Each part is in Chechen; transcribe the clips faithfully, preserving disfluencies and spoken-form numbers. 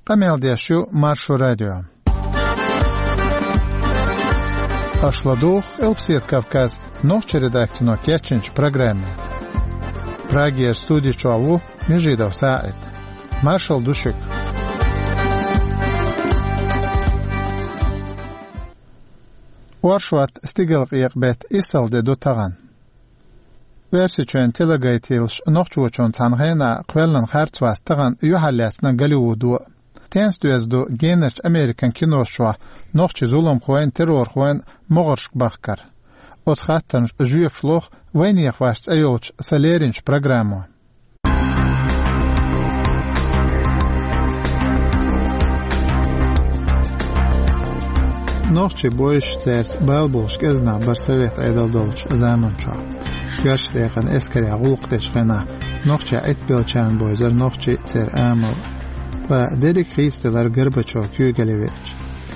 Къамел деш ю Маршо радио. Аша ладугӀу Къилбседа Кавказ нохчийн редакцино кечйинчу программе. Прагера студи чохь ву Межидов СаӀид. Маршалла ду шуьга. Оршот, стигалкъекъа беттан иссалгӀа де ду тахана. Оьрсийчоьнан телегайтилаш нохчочунна цхьана хенахь кхоьллина харц вац тахана юьхьарлаьцна Голливудо. Стенца доьзна ду генарчу Американ киношкахь нохчийн зуламхойн, террорхойн могӀаршка бахкар? Оцу хаттарна жоьпаш лоху «Вайнехан ваша» цӀе йолчу сан леринчу программо. Нохчий бойшаш, цаьрца бала болуш кӀезиг нах бара совет Ӏедал долчу заманчохь. Коьртачу декъана эскарехь гӀуллакх дечу хенахь нохчех Ӏитбеллачарна бевзара нохчий, церан амал. Ткъа дерриг а хийцаделира Горбачёв куьйгалле веача.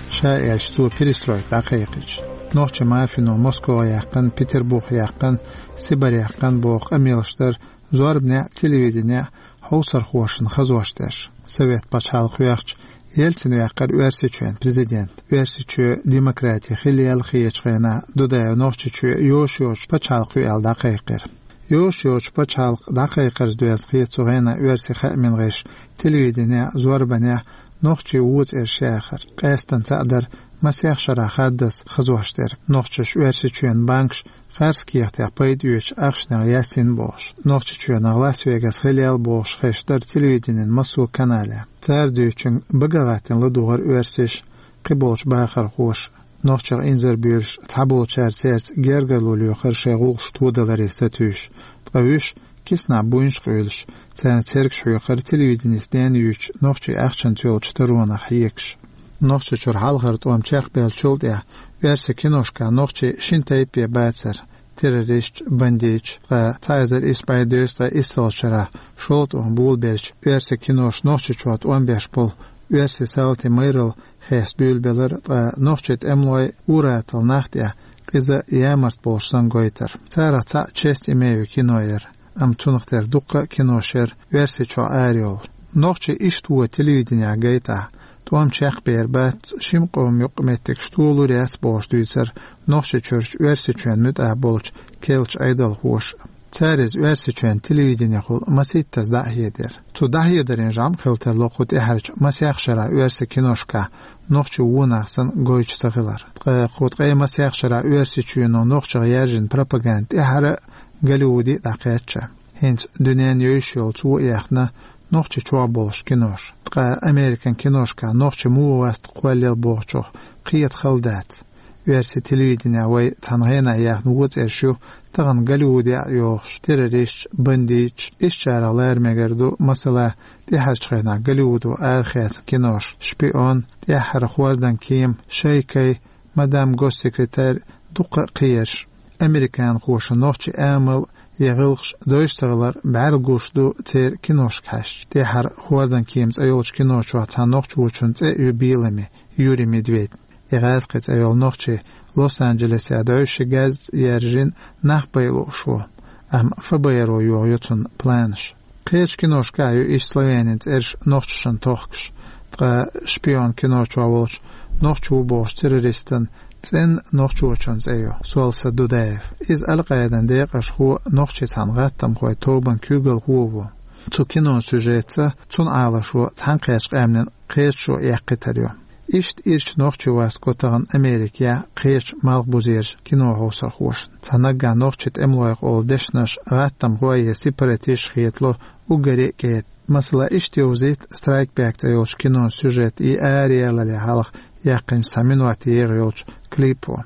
Ша аьлча, цо перестройка дӀакхайкхича. Нохчийн мафино Москва яьккхина, Петербург яьккхина, Сибарь яьккхина боху къамелаш дара зорбанехь а, телевиденехь а хьовсархошна хазош дерш. Совет пачхьалкх йоьхча, Ельцин ваьккхира Оьрсийчоьнан президент. Оьрсийчоь демократи хилла яьлла хетачу хенахь Дудаев Нохчийчоь йош йоцуш пачхьалкх ю аьлла дӀакхайкхира. Йош йоцуш пачхьалкх дӀакхайкхарца доьзна хета цу хенахь оьрсийн хаамийн гӀирсаша телевиденехь а, зорбанехь а нохчийн вон цӀераш яхар. Къаьстина цхьаъ дара масех шарахь хаддаза хазош дерг. Нохчаша Оьрсийчоьнан банкаш харц кехатех пайда оьцучу ахчанех яьссина бохуш. Нохчийчоьнах Лас-Вегас хилла яьлла бохуш хезаш дара телевиденин массо а каналехь. Цара дуьйцучуьнга бага а гӀаттийна ладугӀура оьрсаша, кхиболчу бахархоша. Нохчех инзар буьйлуш цхьаболчара цаьрца гергарло лоьхура шайн гӀуллакхаш тодаларе сатуьйсуш, ткъа вуьш киснахь буйнаш къуьйлуш, царна цергаш хьоькхура телевиденехь дена юьйцучу нохчийн ахчанца йолчу таронах хьоьгуш. Нохчийчуьра хьалхара тӀом чекхбеллачул тӀаьхьа оьрсийн киношкахь нохчий шина тайпе бацара: террористаш, бандиташ, ткъа цхьа эзар исс бӀе дезткъе иссалгӀачу шарахь шолгӀа тӀом болабеллачу оьрсийн киноша Нохчийчохь тӀом беш болу оьрсийн салтийн майралла хеста буьйлабелира, ткъа нохчийн тӀемалой, ур-атталла нах тӀехь къиза ямарта болуш санна гойтура. Царах цхьаъ «Честь имею» кино яра, амма цунах тера дуккха а кинош яра Оьрсийчохь арайолуш. Нохчий иштта вон телевиденехь гайтахь, тӀом чекхбер бац, шимма къоман юкъа меттигаш толур яц бохуш дуьйцура Нохчийчуьрчу Оьрсийчоьнан муьтӀахь болчу керлачу Ӏедалхоша. Цара иза Оьрсийчоьнан телевиденехула масийттаза дӀахьедира. Цу дӀахьедарийн жамӀ хила тарло кху тӀаьхьарчу масех шарахь оьрсийн киношкахь нохчийн вон нах санна гойтуш ца хилар. Ткъа кху ткъе масех шарахь Оьрсийчоьно нохчех яьржина пропаганда тӀаьхьара а Голливуде а дӀакхаьчча. ХӀинца дуьненна евзаш йолу цо а яьхна Нохчийчохь болуш кинош. Ткъа Американ киношкахь нохчий муха вац кхоьллина бохучух кхета хала дац. Оьрсийн телевиденехь вай цхьана хенахь яьхна вон цӀераш ю тахана Голливудехь а йогӀуш: террористаш, бандиташ. Ишттачарах лара мегар ду, масала, тӀаьхьарчу хенахь Голливудо арахецна кинош: «Шпион», «ТӀаьххьара хӀордан кема», «Шайкай», «Мадам госсекретарь», дуккха а кхиерш. Американхоша нохчийн амал я гӀиллакхаш дойуш ца хилар бӀаьрла гуш ду церан киношка хьаьжча. «ТӀаьххьара хӀордан кема» цӀе йолчу кино чохь цхьана нохчочун цӀе а ю беламе, Юрий Медведь. И гӀазкхи цӀе йолу нохчи Лос-Анджелесехь дойуш ши газза яьржина нах бай лууш ву, амма ФБР-о йохайо цунна планаш. Кхечу киношкахь а ю иштта словенийн цӀераш нохчашна тохкуш, ткъа «Шпион» кино чохь волчу нохчи ву бохучу террористан цӀенна нохчочун цӀе ю: Солса Дудаев. Иза Ал-Къаидан декъашхо, нохчийн цхьана гӀаттамхойн тобан куьйгалхо а ву. Цу кинон сюжетца цуьнан Ӏалашо цхьаьнакхеттачу къаьмнийн кхеташо эккхийтар ю. Иштта ирча нохчи васт го тахана Америкехь кхечу малхбузерчу кинохьовсархошна. Цхьа наггахь нохчийн тӀемалойх олу дешнаш гӀаттамхой я сепаратисташ хетало уггаре а кӀеда. Масала, иштта йовзийта «Страйк Бэк» цӀе йолчу кинон сюжет и араяьллале хьалха яьккхинчу цхьа минот егӀа йолчу клипо.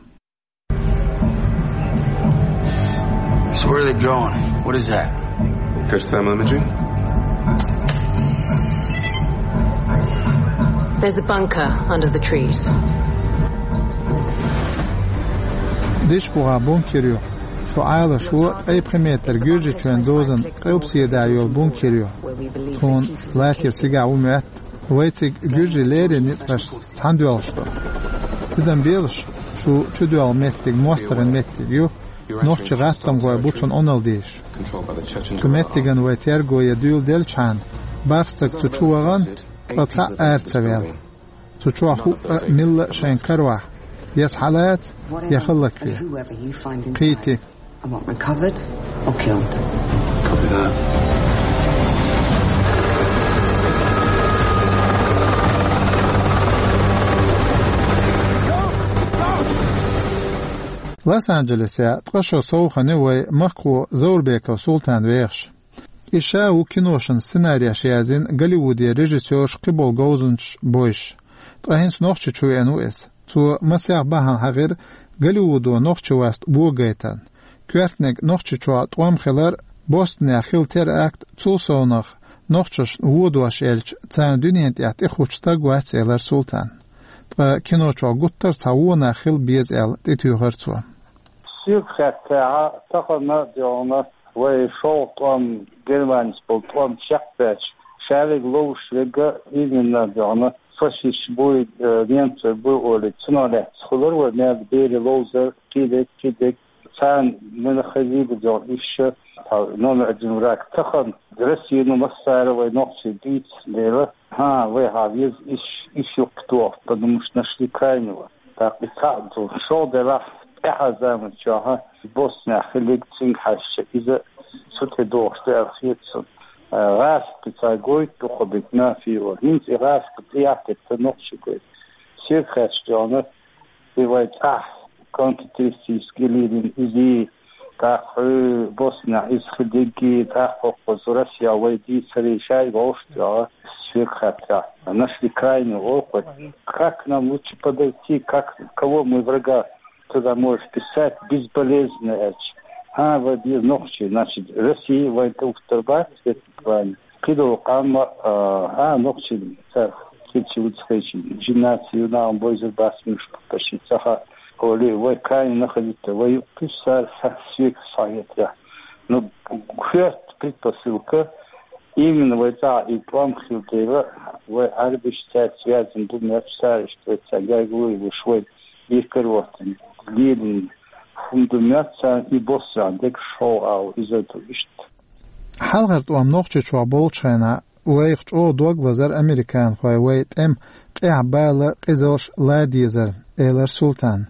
So where are they going? What is that? First thermal imaging. There's a bunker under the trees. Диш бухахь бункер ю. Шу Ӏалашо ткъе пхи метр гуьржичойн дозанна къилбседа йолу бункер ю. Тхуна латийра цигахь ву моьтту. Вай цига гуьржийн леррина ницкъашца цхьаьна доьлхуш ду. Тидам белаш, шу чудоьлху меттиг мостагӀийн меттиг ю, нохчийн гӀаттамхой бу цунна Ӏуналла дезаш. Цу меттиган вай терго я дуьйладелчхьана, бархӀ стаг цу чу вахана, ткъа цхьаъ ара ца ваьлла. Цу чохь хӀуъа а милла а шайн каравахь, я схьалаца, я хӀаллакве. Кхийти. I want recovered or killed. Copy that. Лос-Анджелесе ткъа шо совхана вай махкахо Заурбеков Султан вехаш. И ша ву киношан сценареш язйина Голливуде режиссёрш, кхиболу говзанчаш бойш. Ткъа хӀинца Нохчийчу веана ву иза. Цо масех бахьана хьахийра Голливудо нохчийн васт богайтарна. Коьртаниг Нохчийчохь тӀом хилар, Бостонехь хилла теракт, цул совнаха нохчашна вон дош елча, царна дуьнен тӀехь тӀехучу стаг вац, элира Султана. Ткъа кино чохь гуттар а цхьа вон нах хила беза аьлла, тӀетуьйхира цо. Соьга хаьттехь, тахана а дуьйна вай шолгӀа тӀом, Германис болу тӀом чекхбаьлча, ша верг ловзуш верг а именно дуьйна фашисташ буй, э, немцой буй олий, цунах лаьцна хуьлура вай мел берийн ловзар, кхидерг, кхидерг. Царна мила хазийла дуьйна иштта, тхьа номер один враг. Тахана Россино массара а вай нохчий дийца дела, хӀан, вай хьан веза иш, иш юккъе тоха, потому что нашли крайнего. ТӀаккха и цхьаъ ду, шолгӀа делахь, тӀаьхьа заман чохь Боснехь хилларг цуьнга хьаьжча, иза цу тӀе догӀуш ду аьлла хета суна. Э, гӀазкхи цхьа гойту дукха битна фио. ХӀинца и гӀазкхи тӀе яккхийта нохчий гойту. Соьга хаьттича дуьйна, и вай цӀахь контртеррористический линия изий, тӀаккха хьуьй Боснехь иза хилларггий, тӀаккха хӀокхуза Россехь вай дийцарий, шайга вовшах дуьйна, соьга хаьттехь. Нашли крайнего олу кхуьнга. Как нам лучше подойти, как, кого мы врага туда можешь писать безболезненно аьлча. ХӀан, вай беза нохчий, значит, Россия вайн тӀе уттар бац, это правильно. Кхидолу къам а, а, нохчий цара кхидӀа чу вуьту хилча, жинаций ю нахана бойзар бац муьлш, почти ца хаьа. Олий, вай крайне находиться, вай юккъе туьссара схьа, соьга схьахетарехь. Ну, коьрта предпосылка, именно вай цӀахь и тӀом хилла дела, вай Ӏаьрбиш цаьрца связан ду моьттуш, цара иштта вай цаьрга гергарло йолуш вай декхар а хӀоттийна, лелийна хӀума ду моьтту царна, и Боснехь дерг шолгӀа агӀо, иза ду иштта. Хьалхара тӀом Нохчийчохь болчу хенахь вайх чӀогӀа дог лазар американхой вай тӀеман къаьхьа бала, къизалш лан дезарна, элира Султана.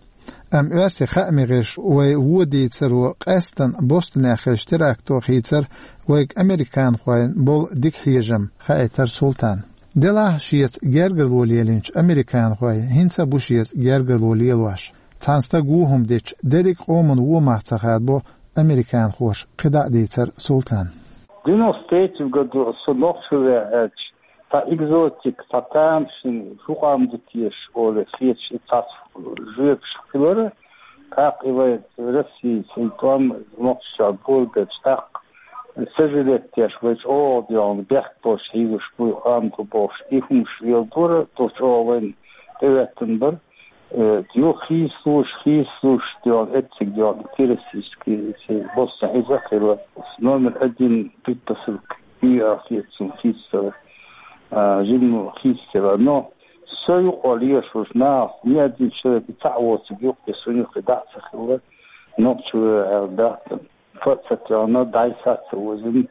Амма оьрсийн хаамийн гӀирсаша вай вон дийцаро къаьсттина Бостонехь хиллачу теракто хийцира вайга американхойн болу дика хьежам, хаийтира Султана. Делахь а шеца гергарло лелийначу американхой хӀинца а бу шеца гергарло лелош. Цхьана стага вон хӀума дича, дерриг а къоман вон мах ца хадабо, американхоша кхидӀа а дийцира Султана. Девяносто третьем году со нохчо веача, цхьа экзотика, цхьа тамашийна, хӀун къам ду теша олий хеташ, и цхьацца жоьпаш хилара, тӀаккха и вай Россица и тӀом нохчашкахь болабелча, тӀаккха сожалеть деш, вай чӀогӀа дуьйна бехк болуш хьийзаш бу, къам ду бохуш, и хӀумаш леладора, цо чӀогӀа вайна тӀехӀоьттина бара. Э, юха хийцалуш, хийцалуш дуьйна, эцциг дуьйна, террористический, эцциг Боснехь иза а хилла, номер один предпосылка ю аьлла хета суна хийцалуш, а, жимма хийцалуш. Но со юкъахь лелаш волчу нахах ни один человек и цхьаъ воцург юккъе, суна юккъе дӀа а ца хилла, нохчо ву аьлла дац. Фа а ца тоьхна, дӀай-схьай а ца озийна,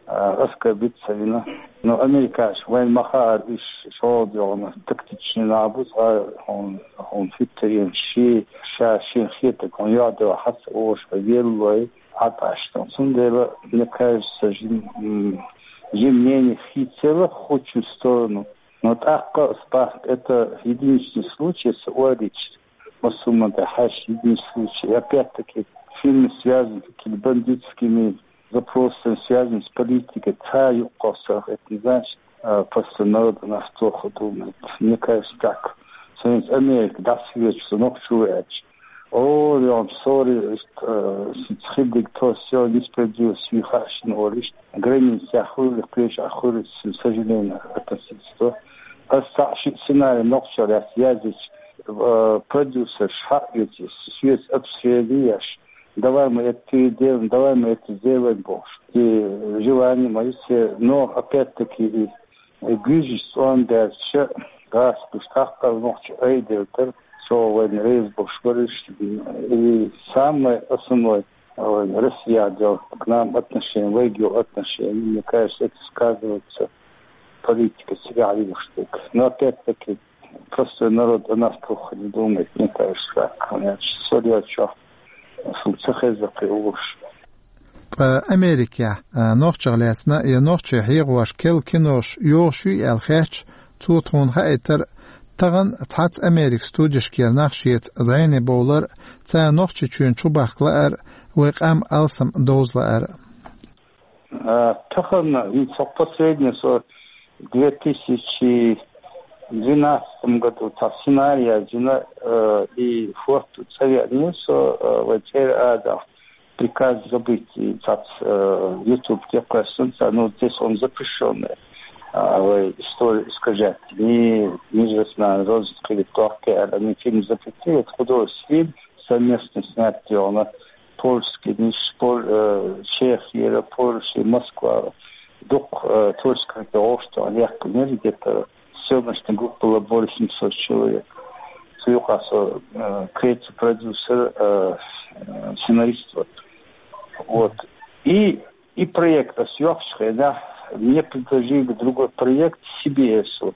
а, оскорбить ца вина. Но американцаша вайна ма хаара, уьш чӀогӀа дуьйна тактичный нах бу, цкъа хьуна, хьуна хӀуьттаренаш, шен, ша шена хетарг хьуна юьхь-дуьхьа хьа ца оша, хьо веллалой, Ӏа тӀаьштан. Цундела, мне кажется, жим-, м, жим мнение хийцалуш хӀокху сторону. Но тӀаккха ас боху, это единичный случай, ца ойла йича, массо а хӀуманна тӀехь хьаьжча, единичный случай. И опять-таки, фильмы, связанные с какими-то бандитскими запросами, связанными с политикой, цхьа юкъахь сахьтина, значит, а, просто народу нас плохо думает. Мне кажется, так. Со хӀинца Америка дӀасавоьдуш, со нохчо веача, о, я вам сори, э, хилларг то всё несправедливость, хаьа шуна олий, границехь хуьлий, кхечахь хуьлий, к сожалению, относиться до. Ас цхьаъ шиъ сценарий нохчийн лаьцна язйича, э, продюсерш хьаъ йоцу, соьца обсуждение еш, давай мы это переделаем, давай мы это сделаем бохуш. И желание моё все, но опять-таки и гуьйжуш цӀом баьлча, гӀазкхаша тӀаккха нохчий айделла дара, чӀогӀа вайна реза болуш бара уьш, и самое основное, вайн Россия делла к нам отношение, вайга йолу отношение, мне кажется, это сказывается. политика цигахь лелаш дерг. Но опять-таки простой народ о нас плохо не думает, мне кажется, так. Значит, со дела чохь, шуна ца хеза кхин уллуш. Ткъа Америкехь, а, нохчех лаьцна я нохчийн хьехош керла кинош йогӀуш юй аьлла хаьттича, цо тхуна хаийтира, тахана цхьацца Америкин студешкера нах шеца зӀене бовлар, цара Нохчийчоьнна чубахка лаар, вай къам алсам довза лаар. А, тахана, ну, со последнее, со в две тысячи двенадцатом году цхьа сценарий яздина, э, и фото цӀа веанера со, э, вай цӀера а даьхна, «Приказ забыть», и цхьацца, э, YouTube тӀе кхоьссина цара, ну, здесь он запрещённый, а, вай историю искажать. Ни, ни же знаю, розы открыли, кто, они фильм запретили, это художественный фильм, совместно снять, где он польский, низ Пол-, э, Чехия, Польша, Москва, дукха, э, творческий гӀоштан яьккхинера, где-то съёмочная группа была более семьсот человек. Цу юкъа со, э, креатив продюсер, э, э, сценарист вот. Вот. И, и проект ас йоккхучу хенахь, мне предложили другой проект C B S,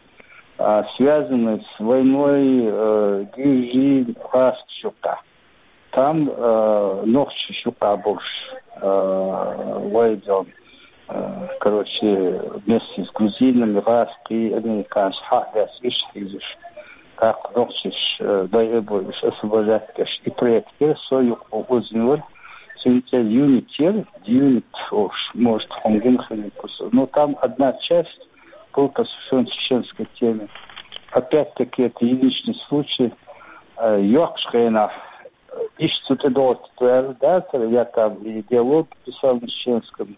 а, связанный с войной, э, Гюржий, гӀазкхаша юкъахь. Там, э, нохчий юкъахь болуш, э, вай дон, э, короче, вместе с грузинами, гӀазкхий, американций хьа а лаьцна, уьш хьийзаш. ТӀаккха нохчий, э, дай а бой, уьш освобождать деш. И проект яра со юкъа озийна вара, цуьнан цӀе Юнит яра, Юнит олуш, может, хьуна гина хилла ву со. Но там одна часть была посвящённа чеченской теме. Опять-таки, это единичный случай. Э, йоккхачу хенахь, иштта цу тӀе догӀург ваьлла дацара, я там и диалог писал на чеченском,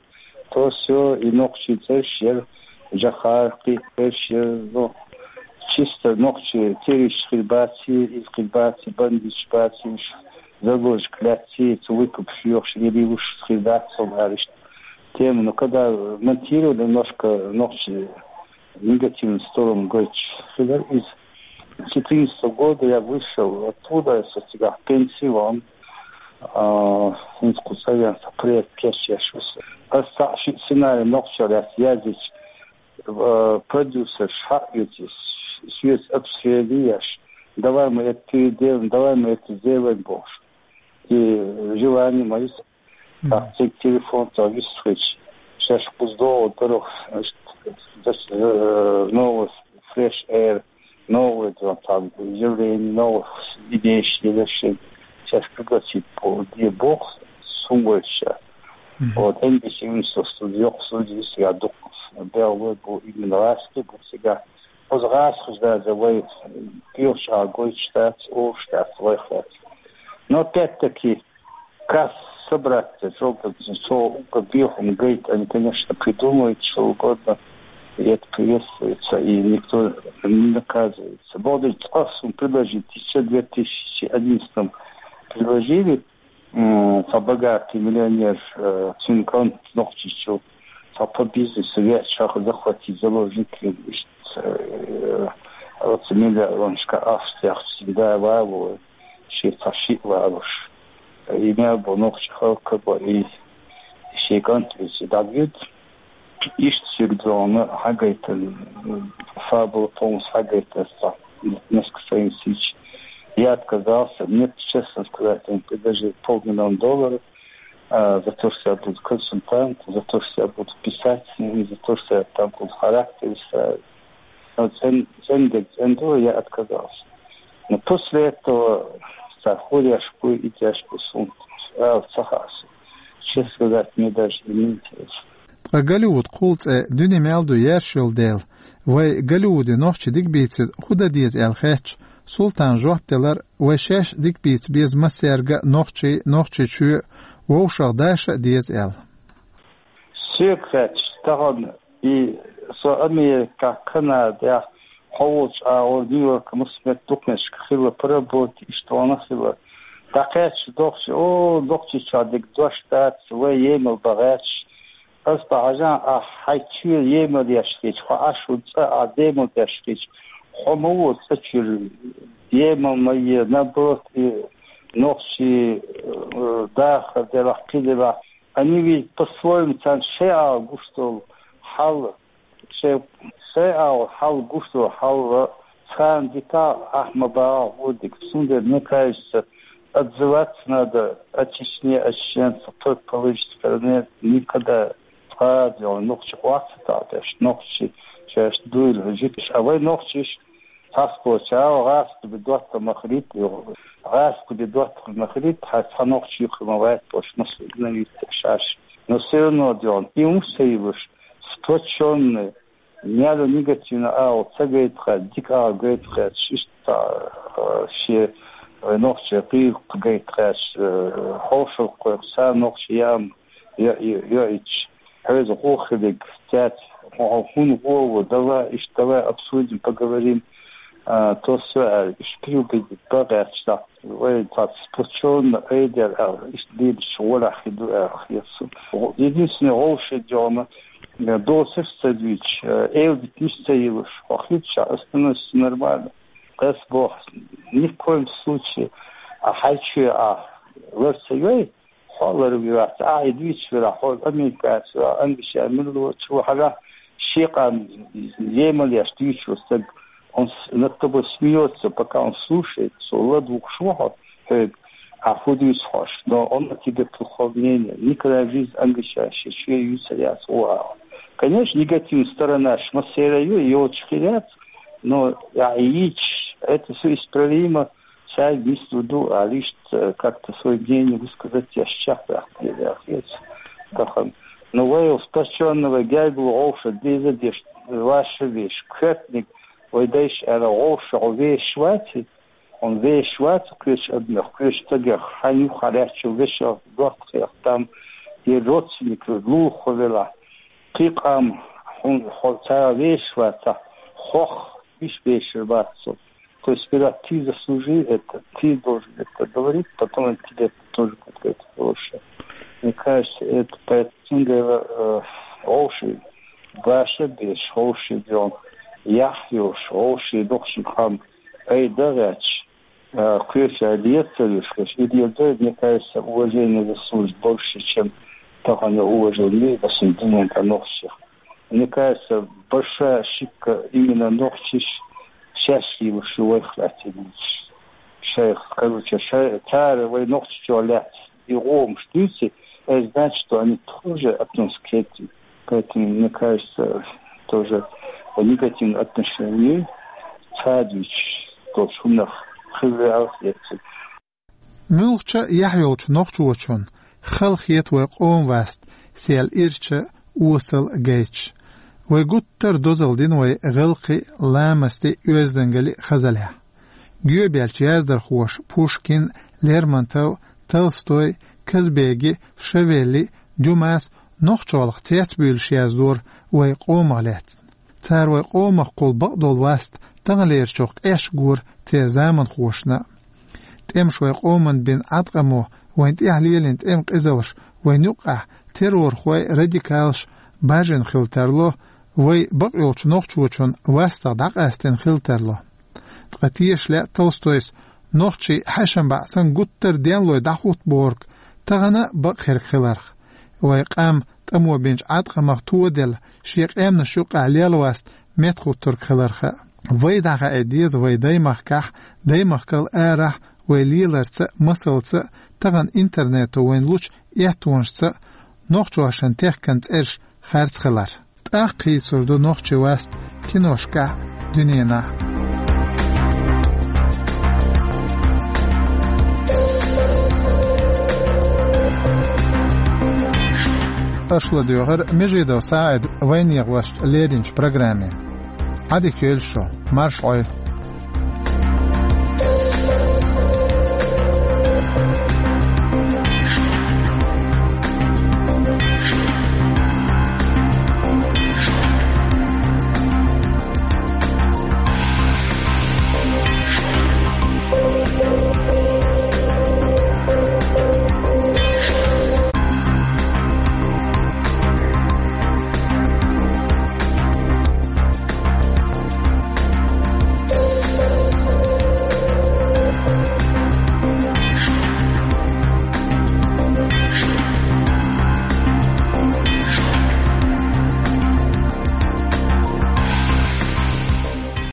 то всё, и нохчийн цӀераш яра, Джохар, кхин а цӀераш яра, ну, чисто нохчий террористаш хир баций, иза хир баций, бандиташ баций, уьш заложник лаьцций, цу выкуп йохуш, или уьш хир дац, со аьлла иштта. Тема, ну, когда монтировали, немножко нохчий негативную сторону гойтуш хилар иза. С четырнадцатого года я вышел оттуда, я со цигахь пенсий ван, а, хӀинца кху цӀа веана со проект кечъеш ву со. Ас цхьаъ шиъ сценарий нохчех лаьцна яздича, э, продюсерш хьаоьцу, соьца обсуждение еш, давай мы это переделаем, давай мы это сделаем бохуш. И желание моё Мгм. Так, цига телефон цо вистхуьлуш, шаьш кхуза догӀу дара, значит, э, новый Fresh Air, новый, там, там, явление, новых идей, решений. Шаьш пригласить по, где бог, сумойша. Мгм. Вот, Н Б С Universal студия, йоккха студия, я дукха бегӀлой бу именно гӀазкхий бу цигахь. Оцу гӀазкхаша даже вай кхечу а гойтуш дац, олуш дац, вай хаац. Но опять-таки, касса собраться, цо уггар бехам гайта, они, конечно, придумают что угодно, и это приветствуется, и никто не наказывается. Богдыч, ас суна предложить ещё в две тысячи одиннадцатом предложили, м, цхьа богатый миллионер, э, цуьнан кӀант Нохчийчу, цхьа по бизнесу веача, захватить заложниками, иштта, э, оцу миллионашка ахча тӀехь цуьнан да валой, шен цхьа шиъ валуш. И мел бу нохчи халкъ бу, и шен кӀант веца дӀавуьду. Иштта соьга догӀна хьагайтина, фабула полностью хьагайтина аса цхьа несколько страниц. Я отказался, мне, честно сказать, они предложили полмиллиона долларов, а, за то, что я буду консультант, за то, что я буду писать с ними, за то, что я там буду характер выстраивать. Но цен-, цен дерг цен ду, я отказался. Но после этого цхьа хӀорш бу, и деш бу суна, а, ца хаьа суна. Честно сказать, мне даже и не интересно. Ткъа Голливуд кхул цӀе дуьне мел ду яьржаш йолу дела, вай Голливуде нохчий дика бийцина хӀун дан деза аьлла хаьттича, Султана жоп делира, вай шаьш дика бийца беза массаьрга а нохчий, Нохчийчоь, вовшах дӀадаша а деза аьлла. Соьга хаьттича, тахана и со Америкехь, Канадехь, хьо волчу агӀор Нью-Йоркехь массо а метта дукха меттигашка хилла, поработать, иштта ван хилла. ДӀакхаьчча дохчий, о, Нохчийчохь дерг дош дац, вай емал бан гӀерташ. Ас бан хьажахь, ахь хьайн чоь емал еш хилча, хьо Ӏаш волу цӀа ахь демал деш хилча, хьо ма ву цӀа чуьра емал ма е, наоборот, и нохчий, э, дахар делахь, кхин делахь, они ведь по-своему, царна шайн агӀор гуш долу хьал, Сай, сай агӀо хьал гуш ду, хьал цхьана дика ахма багӀа гӀурдик. Цундела, мне кажется, отзываться надо о Чечне, о чеченцах только по личной стороне. Никогда цхьа а дела нохчи хватит, а, то есть нохчи, то есть дуйла житиш. А вай нохчиш, цхьацца чао гӀаста бе дотта махрит, гӀаста бе дотта махрит, хьа цхьа нохчи юххе ма вайт, то есть мас игнорит шаш. Но всё равно дела, и ум сайлуш, сплочённый, няло негативно агӀо ца гайтха, дика агӀо гайтха, иштта, э, ше, э, нохчи гӀийла гайтха, э, хьошалгӀа кхойх, са нохчи ям, йо-, йо-, йоӀич, хьоьза гӀо хилиг, цец, хьо хӀун гӀо ву, давай, иштта, давай обсудим, поговорим, а, то всё, а, иштта приугодить багӀаьчна. Вай цхьацца сплочённо айдер, а, иштта дийдача гӀолахь хи ду, а, хетсу. Единственное, гӀовши дёна, э, доцаш ца дуьйч, э, эвдитниш ца йилуш, хьо хилча, остановишься нормально. Къес боху, ни в коем случае, а хьайчуья а лар ца йой, хьо лар вац, а и дуьйчу велахь, хьо Америкаца, а англичан милло чу вахьара, шен къам емал еш дуьйчу стаг, он с-, над тобой смеётся, пока он слушает, со ладугӀуш ву хьо, хьоьга, а хӀун дуьйцу хьош, но он о тебе плохого мнения, никогда в жизни англичан шен чуье юьйцур яц, о, а. Конечно, негативная сторона ш массера ю, йоцуш хир яц, но а йийцуш, это всё исправимо, цаьрга нислур ду, а лишь, э, как-то своё мнение высказать я сейчас, я хец. Тахан. Ну, вай сплочённо, вай гергал гӀовша деза деш, ваша веш, коьртаниг, вай дайша аьлла, гӀовша гӀо веш вац, он веш вац кхечу адамех, кхечу стагех, хьан юххьа лаьттачу вешех, дохках там, я родственник, лулахо велахь, кхин къам, хьуна хьо цара веш вацахь, хох, уьш вешар вац со. То есть, сперва ты заслужи это, ты должен это говорить, потом тебе тоже будет говорить хорошее. Мне кажется, это поэтому, э, гӀовши, баша беш, гӀовши дён, яхь йолуш, гӀовши доккхачу къам, ай дагӀаьча, э, кхеча лецалуш, и леца, мне кажется, уважение заслужит больше, чем тахана уважение, допустим, динан тӀа нохчех. Мне кажется, большая ошибка именно нохчиш шаьш йилуш ю вайх лаьцна йилча. Шайх, короче, шай-, цара вай нохчичо лаьцна и гӀомаш дуьйцу, это значит, что они тоже относятся к этим. Поэтому, мне кажется, тоже негативное отношение цхьа а дуьйцуш долчу хӀуманах хила веа хетта. Муьлххачу а яхь йолчу нохчочунна хала хета вай къоман васт, сел ирча, осал гайташ. Вай гуттар а дозалла дина вай гӀиллакхий, ламастий, оьздангаллий хазаллехь. Гоьбаьллачу яздархоша Пушкин, Лермонтов, Толстой, Казбеги, Шавелли, Дюмас нохчаллах цецбуьйлуш яздора вай къомах лаьцна. Цара вай къомах кхул бакъдолу васт таханлерчух къеш гора церан заманхошна а. ТӀемаш вай къоманна бина Ӏаткъамо, вайна тӀехь лелийна тӀеман къизаллаш вайна юккъехь террорхой, радикалаш бажина хила тарло, вай бакъйолчу нохчочунна вастагӀа дӀакъаьстина хила тарло. Ткъа теша лаьа Толстойс нохчий хьаьшам бӀе санна гуттар а денлой дӀахӀуттаборг тахана а бакъ хирг хиларх. Вай къам тӀамо бинчу Ӏаткъамах тоделла, шен къаьмнаш юккъехь лелваст меттахӀуттург хиларх а. Вай дӀахаийта деза вай даймахкахь, даймахкал арахь вай леларца а, масалца а, тахана интернето вайна лучу эттонашца а нохчашна техкан цӀераш харц хилар. ТӀаккха хийцур ду нохчийн васт киношкахь а, дуьненахь а. Аша ладоьгӀира Межидов СаӀида вайнехан вашас леринчу программе. Ӏадика йойла шу, марша Ӏойла.